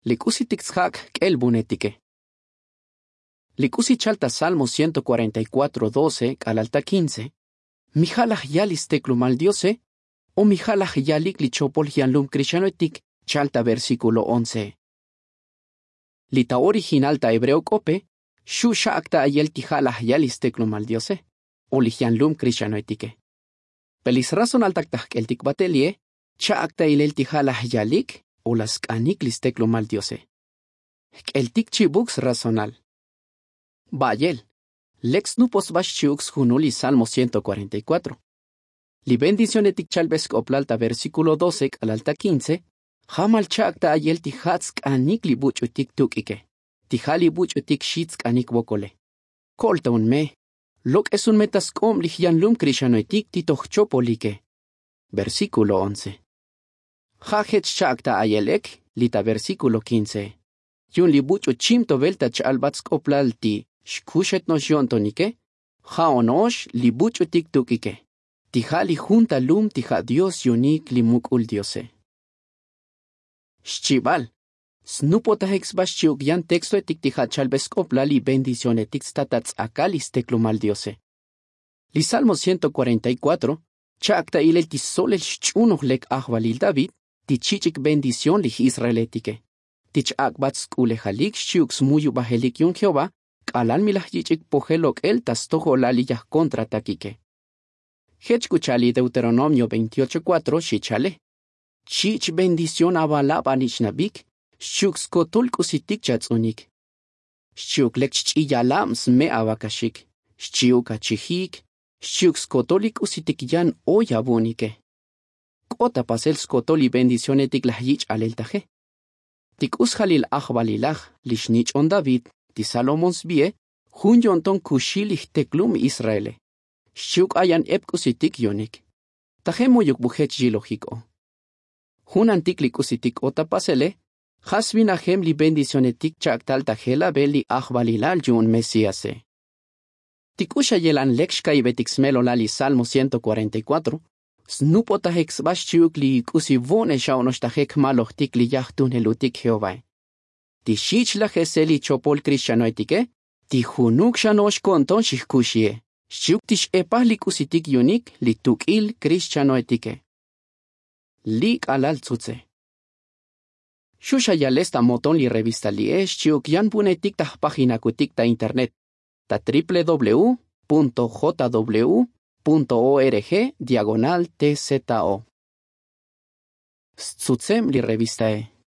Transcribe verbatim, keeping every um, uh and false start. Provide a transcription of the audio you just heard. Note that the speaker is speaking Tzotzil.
Li k'usitik tsjak' jk'el vunetike. Li k'usi chal ta salmo ciento cuarenta y cuatro doce k'alal ta quince, mi ja' laj yal li steklumal diose, o mi ja' laj yalik li chopol jyanlum krixanoetik? Chal ta versíkulo once. Li ta original ta hebreo k'ope xu' xa'ak ta ayel ti ja' laj yal li steklumal diose, o li jyanlum krixanoetike. Pe li srazonaltak ta jk'eltik batel li'e, cha'ak ta ilel ti ja' laj yalik o laj sk'anik li steklumal diose. Jk'eltik chibuk srazonal. Ba'yel, lek snupot sba xchi'uk sjunul li salmo ciento cuarenta y cuatro. Li bendicionetik chalbe sk'oplal ta versíkulo doce k'alal ta quince, jamal cha'ak ta ayel ti ja' tsk'anik li buch'utik tuk'ike, ti ja' li buch'utik xi tsk'anik vokole. Ko'ol ta un me, lok'es un me ta sk'ob li jyanlum krixanoetik ti toj chopolike. Versíkulo once. Ja' jech cha'ak ta ayel ek li ta versíkulo quince. Yu'un li buch'u chib to velta ch'albat sk'oplal ti xkuxet no'ox yo'ntonike, ja' ono'ox li buch'utik tuk'ike, ti ja' li jun ta lum ti ja' dios yu'unik li muk'ul diose. Xchibal, snupotajik sba xchi'uk yan textoetik ti ja' chalbe sk'oplal li bendicionetik sta ta ts'akal li steklumal diose. Li salmo ciento cuarenta y cuatro cha'ak ta ilel ti solel xch'unoj lek ajvalil david ti chich'ik bendición li j'israeletike, ti ch-ak'bat sk'ulejalik xchi'uk smuyubajelik yu'un jehová k'alal mi laj yich'ik pojel lok'el ta stojolal li yajkontratakike. Jech k'u cha'al li deuteronomio veintiocho cuatro xi cha'ale. Chich' bendición avalab anich'nabik xchi'uk skotol k'usitik chats'unik. Xchi'uk lek chch'i yalab sme' avakaxik, xchi'uk achijik, xchi'uk skotol li k'usitik yan oy avu'unike. K'ot ta pasel skotol li bendicionetik laj yich' aleltaje. Ti k'u sjalil ajvalilaj li xnich'on david ti salomón sbi'e, jun yo'nton kuxi li jteklum israele. Xchi'uk ayan ep k'usitik yu'unik. Tajem mu'yuk bu jech yilojik o. Junantik li k'usitik k'ot ta pasele, ja' svinajem li bendicionetik cha'ak tal ta jelabel li ajvalilal yu'un mesíase. Ti k'u xa yelan lek xka'ibetik smelolal li salmo ciento cuarenta y cuatro, snupotajik sba xchi'uk li k'usi vo'ne xa ono'ox tajik jmalojtik li yajtunelutik jehovae. Ti xich' laj jesel li chopol krixchanoetike, ti junuk xa no'ox ko'nton xijkuxie xchi'uk ti x'epaj li k'usitik yu'unik li tuk'il krixchanoetike. Li' k'alal tzutze. Xu' xa yales ta moton li revista li'e xchi'uk yan vu'unetik ta jpajinakutik ta internet ta triple w punto j w punto org diagonal t z o. Stzutzeb li revistae.